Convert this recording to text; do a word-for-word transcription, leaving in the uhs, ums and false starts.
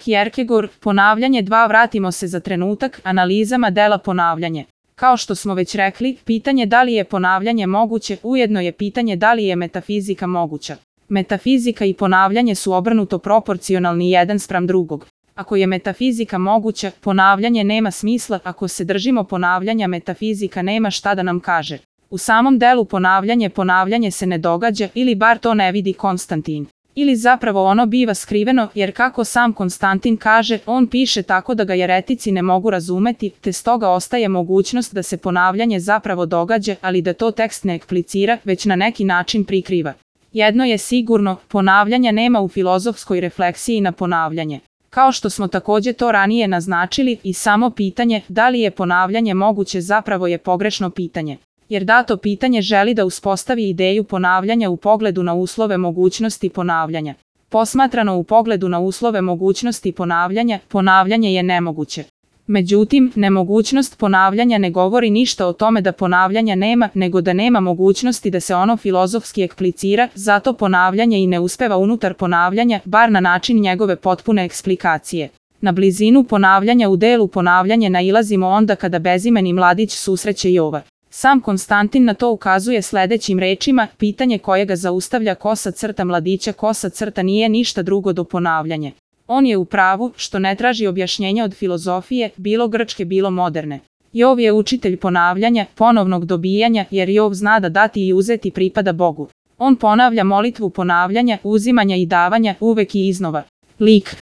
Kierkegaard, ponavljanje dva. Vratimo se za trenutak analizama dela ponavljanje. Kao što smo već rekli, pitanje da li je ponavljanje moguće, ujedno je pitanje da li je metafizika moguća. Metafizika i ponavljanje su obrnuto proporcionalni jedan spram drugog. Ako je metafizika moguća, ponavljanje nema smisla, ako se držimo ponavljanja, metafizika nema šta da nam kaže. U samom delu ponavljanje ponavljanje se ne događa, ili bar to ne vidi Konstantin. Ili zapravo ono biva skriveno, jer kako sam Konstantin kaže, on piše tako da ga jeretici ne mogu razumeti, te stoga ostaje mogućnost da se ponavljanje zapravo događa, ali da to tekst ne eksplicira, već na neki način prikriva. Jedno je sigurno, ponavljanja nema u filozofskoj refleksiji na ponavljanje. Kao što smo također to ranije naznačili, i samo pitanje da li je ponavljanje moguće zapravo je pogrešno pitanje. Jer dato pitanje želi da uspostavi ideju ponavljanja u pogledu na uslove mogućnosti ponavljanja. Posmatrano u pogledu na uslove mogućnosti ponavljanja, ponavljanje je nemoguće. Međutim, nemogućnost ponavljanja ne govori ništa o tome da ponavljanja nema, nego da nema mogućnosti da se ono filozofski eksplicira, zato ponavljanje i ne uspeva unutar ponavljanja, bar na način njegove potpune eksplikacije. Na blizinu ponavljanja u delu ponavljanje nailazimo onda kada bezimeni mladić susreće Jova. Sam Konstantin na to ukazuje sljedećim rečima, pitanje koje ga zaustavlja kosa crta mladića kosa crta nije ništa drugo do ponavljanje. On je u pravu što ne traži objašnjenja od filozofije, bilo grčke bilo moderne. Jov je učitelj ponavljanja, ponovnog dobijanja, jer Jov zna da dati i uzeti pripada Bogu. On ponavlja molitvu ponavljanja, uzimanja i davanja, uvek i iznova. Lik